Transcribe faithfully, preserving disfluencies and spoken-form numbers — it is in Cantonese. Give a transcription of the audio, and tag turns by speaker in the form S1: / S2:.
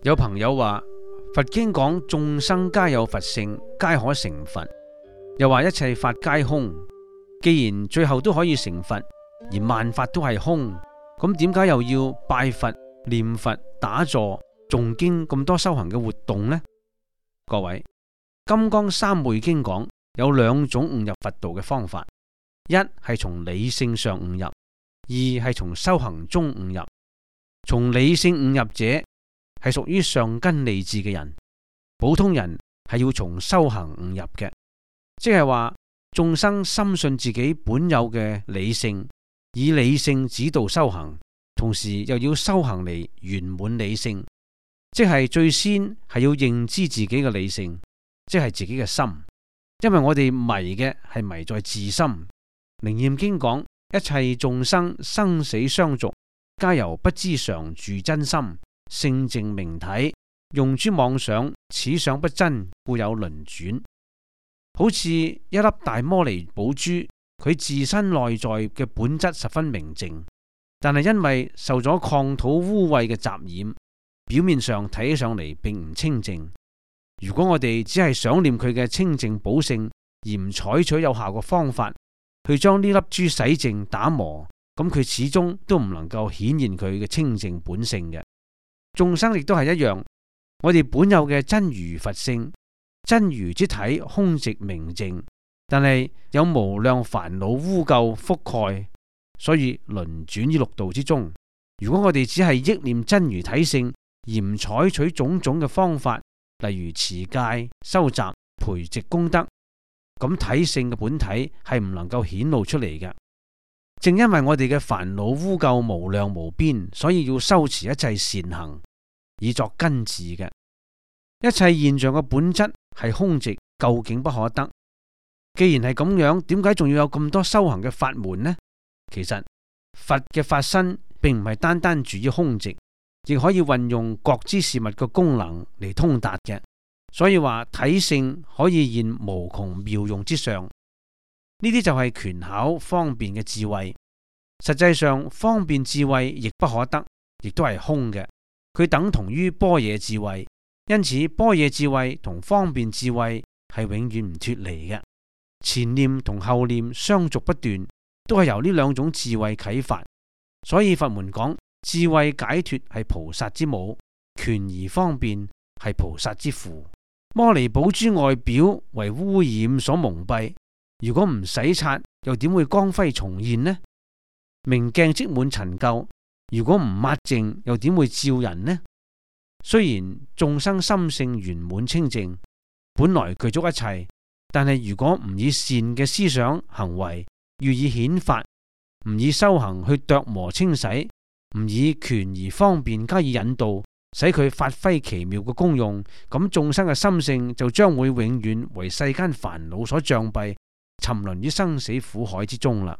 S1: 有朋友話佛經講眾生皆有佛性，皆可成佛，又話一切法皆空。既然最後都可以成佛，而萬法都係空，咁點解又要拜佛、念佛、打坐、誦經咁多修行嘅活動呢？各位，金剛三昧經講有兩種悟入佛道嘅方法，一係從理性上悟入，二係從修行中悟入。從理性悟入者係屬於上根利智嘅人，普通人係要從修行悟入嘅，即係話眾生深信自己本有嘅理性，以理性指導修行，同時又要修行嚟圓滿理性，即係最先係要認知自己嘅理性，即係自己嘅心，因為我哋迷嘅係迷在自心。楞嚴經講一切眾生生死相續，皆由不知常住真心，性淨明體，用諸妄想，此想不真，故有輪轉。好似一粒大摩尼寶珠，佢自身內在嘅本質十分明淨，但係因為受咗礦土污穢嘅雜染，表面上睇起上嚟並唔清淨。如果我哋只係想念佢嘅清淨寶性，而唔採取有效嘅方法去將呢粒珠洗淨打磨，咁佢始終都唔能夠顯現佢嘅清淨本性嘅。眾生亦都係一樣，我哋本有嘅真如佛性，真如之體空寂明淨，但係有無量煩惱污垢覆蓋，所以輪轉於六道之中。如果我哋只係憶念真如體性，而唔採取種種嘅方法，例如持戒、修習、培植功德，咁體性嘅本體係唔能夠顯露出嚟嘅。正因為我哋嘅煩惱污垢無量無邊，所以要修持一切善行，以作根治嘅。一切現象嘅本質係空寂，究竟不可得。既然係咁樣，點解仲要有咁多修行嘅法門呢？其實佛嘅法身並唔係單單住於空寂，亦可以運用覺知事物嘅功能嚟通達嘅。所以話體性可以現無窮妙用之上，呢啲就係權巧方便嘅智慧。實際上方便智慧亦不可得，亦都係空嘅。佢等同於般若智慧，因此般若智慧同方便智慧係永遠唔脫離嘅。前念同後念相續不斷，都係由呢兩種智慧啟發。所以佛門講智慧解脫係菩薩之母，權而方便係菩薩之父。摩尼寶珠外表為污染所蒙蔽，如果唔洗刷，又點會光輝重現呢？明鏡積滿塵垢，如果唔抹淨，又點會照人呢？雖然眾生心性圓滿清淨，本來具足一切，但係如果唔以善嘅思想行為予以顯發，唔以修行去琢磨清洗，唔以權而方便加以引導，使佢發揮奇妙嘅功用，咁眾生嘅心性就將會永遠為世間煩惱所障蔽，沉淪於生死苦海之中啦。